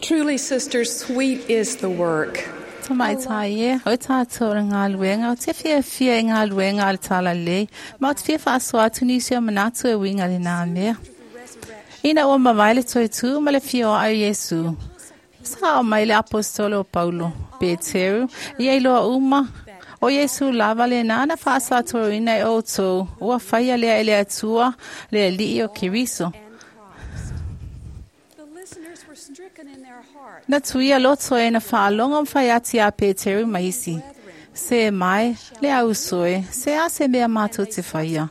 Truly, sisters, sweet is the work. Tamaitai e, o tātou le galuega, ou te fiafia i galuega a le Talalelei, ma ou te fia faasoa atu nisi o manatu e uiga i lenā mea. Ina ua mavae le toe tū ma le fia o Iesu. Sa o mai le aposetolo o Paulo, Peteru, ia iloa uma, o Iesu lava lenā na faasatōina e outou, ua faia lea e le Atua, le Alii o Keriso. The listeners were stricken in their hearts. Na tuia loto e na faalogo ma fai atu iā Peteru ma isi. Se mai, le au uso e, se a se mea matou te faia.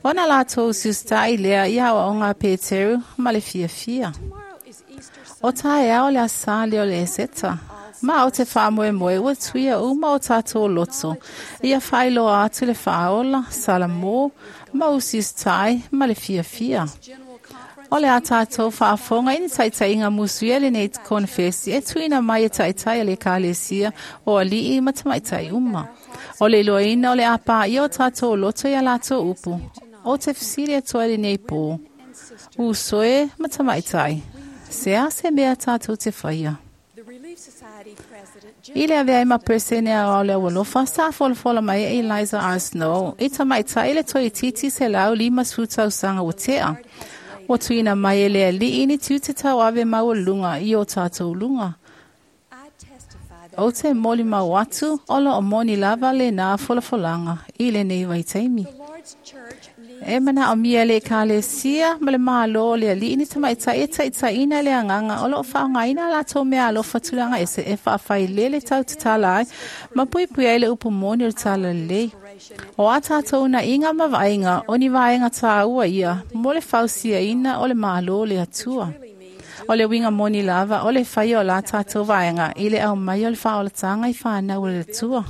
Ona latou usiusitaʻi lea i aoaoga a Peteru ma le fiafia. Tomorrow is Easter O Sunday. taeao le asā lea o le Eseta. Ma o te faamoemoe ua tuia uma o tatou loto. Ia faailoa atu le faaola, salamō, ma usiusitaʻi ma le fiafia. General Conference. O le a tātou faafofoga i ni taitaiga musuia lenei konefesi e tuuina mai e taitai a le Ekalesia o alii ma tamaitai uma. O le iloaina o le a paia o tatou loto ia latou upu. O te fesili atu ai lenei pō. And sisters, Uso e ma tamaitai. Se a se mea tātou te faia. the Relief Society President Jim I le avea ai ma peresene aoao o le aualofa, sa folafola mai e Eliza R. Snow, i tamaitai le toeitiiti 150 tausaga ua tea. Ua tuuina mai e le alii ni tiute tauave maualuga i o tātou luga. I testify that Ou te molimau atu, o loo moni lava lenā folafolaga i lenei vaitaimi. the Lord's Church needs E manaomia le Ekalesia ma le Malo o le Alii ni tamaitai e taitaiina le agaga o loo faaaogaina a latou meaalofa tulaga ese e faafailele tautatala ai ma puipui ai le upu moni o le Talalelei. inspiration O a tātou uunaiga ma vaaiga o ni vaega tāua ia mo le fausiaina o le Malo o le Atua. really means O le uiga moni lava o le faia o la tātou vaega i le aumai o le faaolataga i whānau o le Atua.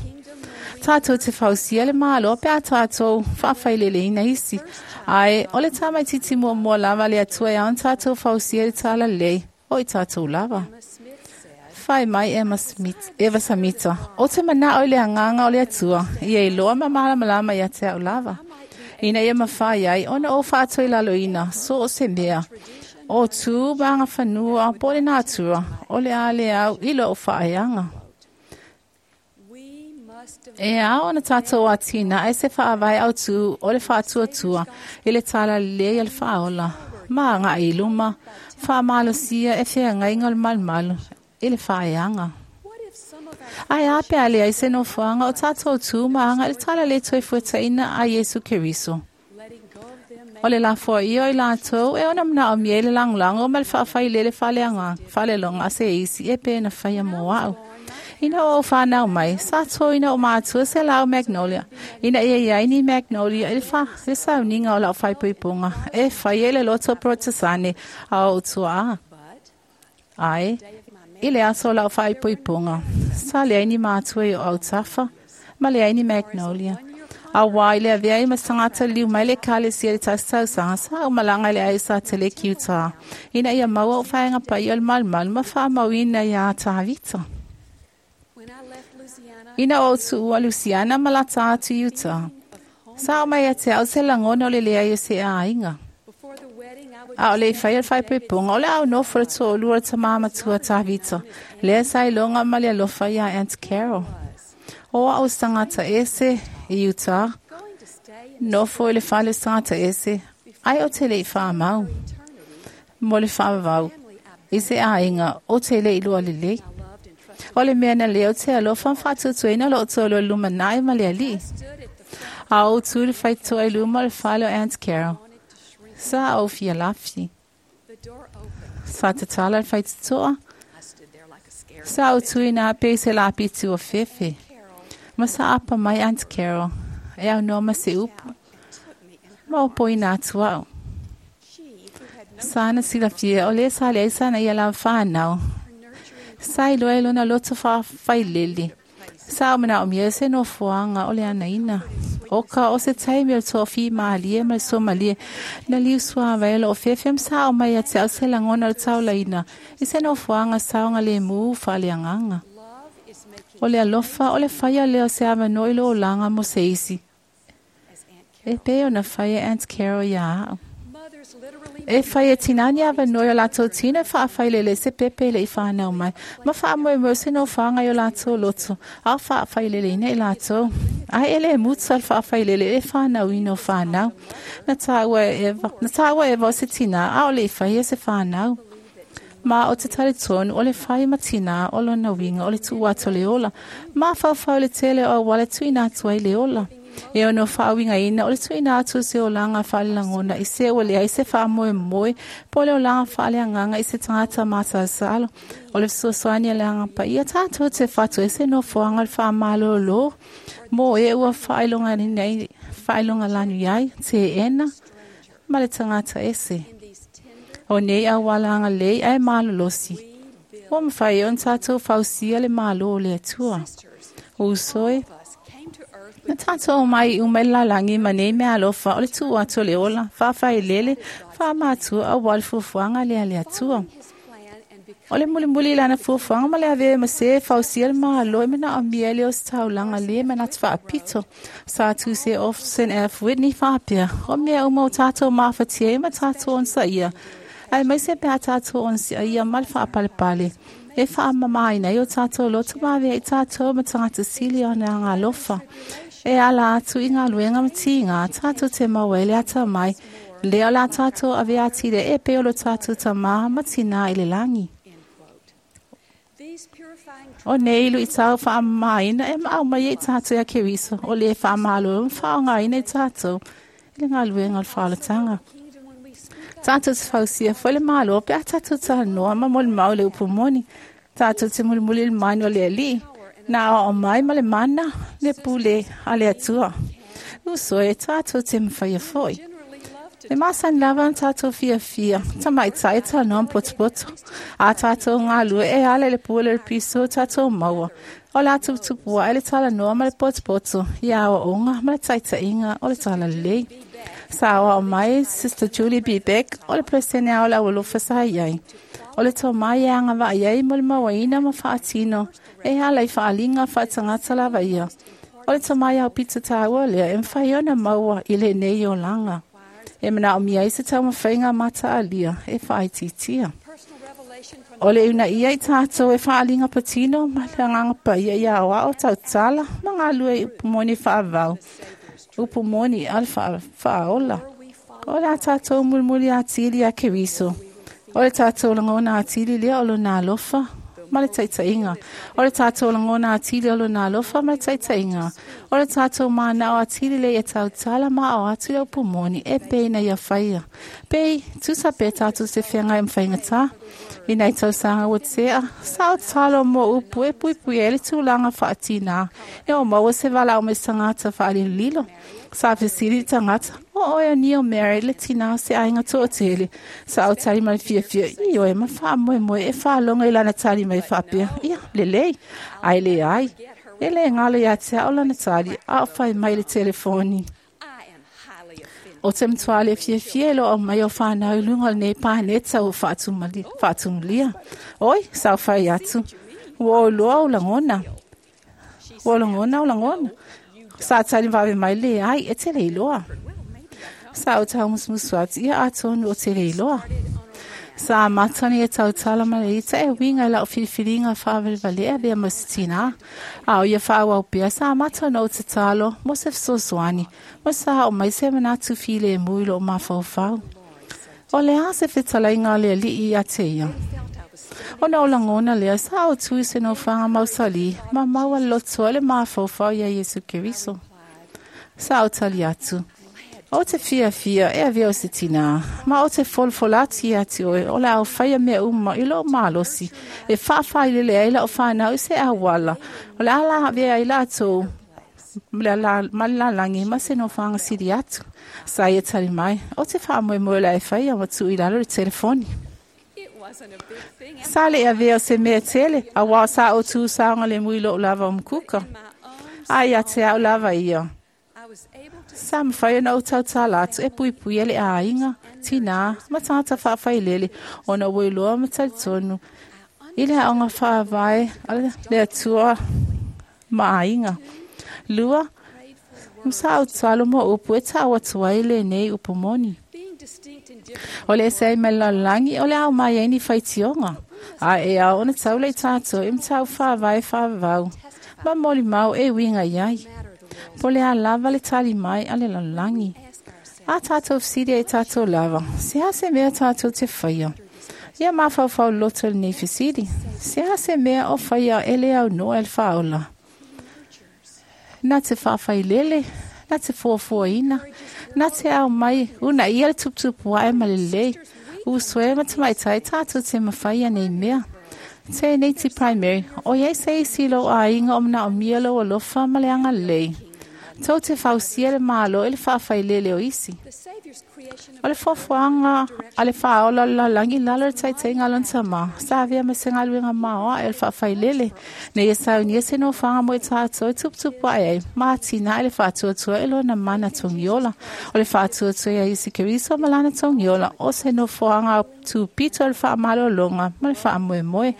Tātou te fausia le malo pe a tātou faafaileleina isi. Ae, o le tamaititi muamua lava le Atua e ao ona tātou fausia le Talalelei o i tātou lava. Emma Smith said, Fai mai Emma Smith, Eva Samita, o te manao i le agaga o le Atua, ia iloa ma malamalama ia te au lava. Ina ia mafai ai, ona o faatoilaloina, so o se mea. O tu ma agafanua, po o le natura, o le a le au i loo faaeaga. we must E ao ona tātou atinae se faavae autū o le faatuatua i le Talalelei a le faaola. Ma agaʻi i luma, faamalosia e feagaiga o le malumalu i le faaeaga. What if some of our Ae a pe a leai se nofoaga o tātou tū ma aga i le Talalelei toefuataina a Iesu Keriso. letting go of them O le lafoaia o i latou e ona manaomia i le lagolago ma le faafailele faaleaga faaleloga a se isi e pe na faia mo au. Ina ua ou whānau mai, sa tōina o mātua se lau magnolia. Ina ia iai ni magnolia i le, wha, le sauniga o lau whaipuipunga. E whai e le loto protesane a o tua a. but Ai, day of my i le aso o lau whaipuipunga. Sa leai ni mātua i o autafa, ma leai ni magnolia. A wā i le avea i masangata liu mai le kalesia le tasi tausaga sa o malaga i le ai sa tele ki utā. Ina ia maua o whaenga pai o le malumalu ma whaamauina ia Tāvita. when I left Louisiana Ina o tuua Luciana ma lata atu i Utah. Sa o mai ia te au se lagona o le leai o se aiga. before the wedding I would A o le i faia le faaipoipoga, o le au nofo le toalua o le tamā matua Tāvita. Lea sa iloga ma le alofa iā Aunt Carol. O au se tagata ese i Utah, going to stay in nofo i le fale o se tagata ese, ai o te le i whaamau, eternity mo le whaavavau, family I i se aiga o te le i lua lelei. I loved and trusted O le mea na leo te alofa ma faatuatuaina loo toalua lumanai ma le alii. stood at the front A ou tu le faitoa i luma o le fale o Aunt Carol. wanted to shrink Sa ou fia lafi. the door opened Sa tatala le faitotoa. I stood there like a scared Sa ou tu ina pe se lapi tu o fefe. Carol Ma sa apa mai Aunt Carol. E au noa ma se upu. out and took me in her Ma o poina atu au. she who had no Sa na silafia o le sa le ai sa na ia la whanau. her nurturing Sa iloa e lona loto whailele. Sa o mana o mia se no fuanga o le anaina. O ka o se taimi o le toafi malie ma le somalie. Na liu sua vai o fefe sa o mai a te au se langona o le taulaina. I se no fuanga saonga le mu whale anganga. love is making O le alofa o le whaia leo se awa i lo olanga mo se isi. as Aunt E Carol pe o na whaia Aunt Carol ia au. mothers literally E fai e tinā ni avanoa i o latou tino e faafailele i se pepe e le i fanau mai, ma faamoemoe se nofoaga i o latou loto, a o faafaileleina i latou. Ae e le muta le faafailele i le fanauina o fanau. Na taua e Eva, na taua e Eva o se tinā, a o le i faia se fanau. Ma o te talitonu o le fai ma tinā o lona uiga o le tuu atu o le ola, mafaufau i le tele o auala e tuuina atu ai le ola. E ono faauigaina o le tuuina atu o se olaga faalelagona i se ua leai se faamoemoe po o le olaga faaleagaga i se tagata masalosalo. O le fesoasoani a le Agaga Paia tatou te fatu ai se nofoaga o le faamalōlō mo e ua faailogalanu ai, teena ma le tagata ese. O nei auala agalelei ae malolosi, ua mafai ai ona tatou fausia le Malo o le Atua. Uso e, na tatou omai uma i le lalagi ma nei mea alofa o le tuu atu o le ola, faafailele, faamatua aua le fuafuaga lea a le Atua. O le mulimuli i lana fuafuaga ma le avea ma se e fausia le Malo e manaomia ai le ositaulaga le manatu faapito. Sa tusi e Orson F. Whitney faapea, O mea uma ua tatou mafatia ai ma tatou onosaia, aemaise pe a tatou onosaia ma le faapalepale, e faamamaina ai o tatou loto ma avea ai tatou ma tagata sili ona agaalofa. E ala atu i galuega ma tiga, tatou te maua ai le atamai, lea o le a tatou avea atili ai e pei o lo tatou Tamā ma Tinā i le lagi. O nei luitau faamamaina e aumai ai tatou ia Keriso, o le faamalolo ma faaaogaina i tatou i le galuega o le faaolataga. Tatou te fausia foi le Malo pe a tatou talanoa ma molimau i le upu moni. Tatou te mulimuli i le manu o le Alii, na aoao mai ma le mana le pule a le Atua. Uso e, tatou te mafaia foi. E masani lava ona tatou fiafia, tamaitai e talanoa ma potopoto. A tatou galue e ala i le pule o le piso o tatou maua. O le a tuputupu ae le talanoa ma le potopoto i aoaoga ma le taitaiga o le talalelei. Sa aoao mai Sister Julie B. Beck o le Peresene ao le Aualofa sa i ai. O le tomai e agavaa i ai mo le mauaina ma faatino e ala i faaaliga faatagata lava ia. O le tomai aupito taua lea e mafai ona maua i lenei olaga. E manaomia ai se taumafaiga mataalia e faaitiitia. O le uunaia i tatou e faaaliga patino ma le Agaga Paia ia aoao tautala ma galue i upu moni faavau, upu moni a le faaola. O le a tatou mulimuli atili ia Keriso. O le tatou lagona atili lea o lona alofa ma le taitaiga. O le tatou lagona atili o lona alofa ma le taitaiga. O le tatou manao atili lea ia tautala ma ao atu le upu moni e pei na ia faia. Pei, tusa pe tatou te feagai ma faigata. I nai tausaga ua tea, sa o tatalo mo upu e puipui ai le tulaga faatinā e o maua se valaau mai se tagata faalilolilo. Sa fesili le tagata, O oe o Neil Mary, le tinā o se aiga toatele? Sa ou tali mai le fiafia, Ioe, ma faamoemoe e faalogo i lana tali mai faapea, Ia, lelei. Ae leai, e le galo ia te au lana tali, a o fai mai le telefoni. O te matua le fiafia e lo aumai o fanau i luga o lenei paneta ua faatumulia. Oi, sa ou fai atu, ua ou iloa ou lagona. Ua ou lagona ou lagona. Sa tali vave mai, leai, e te le iloa. Sa ou taumusumusu atu, ia atonu o te le iloa. Sa amata ona ia tautala ma le ita e uiga i lau filifiliga faavalevalea e avea ma se tinā. A o ia faaauau pea, sa amata ona ou tatalo mo se fesoasoani, ma sa oo mai se manatu filemu i lou mafaufau. O le a se fetalaiga a le Alii ia te ia? Ona ou lagona lea, sa ou tu i se nofoaga mausali ma maua le loto ai le mafaufau iā Iesu Keriso. Sa ou tali atu, Ou te fiafia e avea o se tinā, ma ou te folafola atu ia te oe o le a ou faia mea uma i lou malosi e faafailele ai lau fanau i se auala o le a lavea ai latou ma le lalagi ma se nofoaga sili atu. Sa ia tali mai, Ou te faamoemoe o le a e faia ma tuu i lalo le telefoni. Sa le avea o se mea tele, auā sa ou tu saogalemu i lou lava o Mukuka. A ia te au lava ia. Sa mafai ona ou tautala atu e puipuia le aiga, tinā, ma tagata faafailele ona ua iloa ma talitonu i le aoga faavae a le Atua ma aiga. Lua, sa ou tatalo mo upu e tau atu ai lenei upu moni. O le ese ai mai le lalolagi o le ao mai ai ni faitioga. A e ao ona taula i tātou i mataupu faavae faavavau ma molimau e uiga i ai. Po o le a lava le tali mai a le lalolagi. A tātou fesili ai i tātou lava, se a se mea tātou te faia? Ia mafaufau loto i lenei fesili, se a se mea o faia e le aunoa e le Faaola? Na te faafailele, na te fuafuaina, na te aumai uunaia le tuputupu ae ma le lelei, uso e ma tamaitai tātou te mafaia nei mea. Tēneiti Primary, o i ai se isi i lou aiga o manaomia lou alofa ma le agalelei. Tou te fausia le Malo i le faafailele o isi. The Savior's creation of O le fuafuaga a le Faaola o le lalolagi i lalo o le taitaiga a lona tamā, sa avea ma se galuega maoae o le faafailele, ina ia saunia se nofoaga mo i tātou e tuputupu ae ai, ma atinae le faatuatua i lona mana togiola. O le faatuatua ia Iesu Keriso ma lana togiola, o se nofoaga tupito o le faamalologa ma le faamoemoe,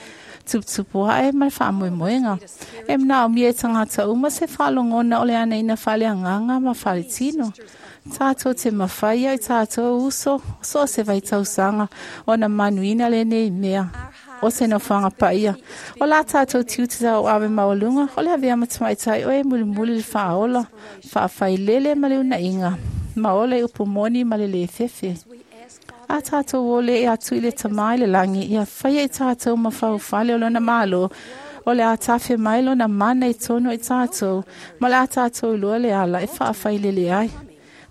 tuputupu ae ma le faamoemoega. E manaomia e tagata uma se faalogona o le anaina faaleagaga ma faaletino. Tātou te mafaia i tātou uso, so o se vaitausaga ona manuina lenei mea. O se nofoaga paia. O la tātou tiute tauave maualuga, o le avea ma tamaitai o e mulimuli le faaola, faafailele ma le unaiga, ma ola i upu moni ma le lē fefe. we ask Father A tātou ole e atu i le tamā i le lagi, ia faia i tātou mafaufale o lona malo, o le a tafe mai lona mana i tonu i tātou, ma le a tātou iloa le ala e faafailele ai.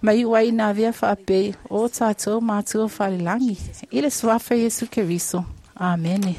Ma iu ai ina avea faapei o tātou matua falelagi. I le suafa o Iesu Keriso. Amene.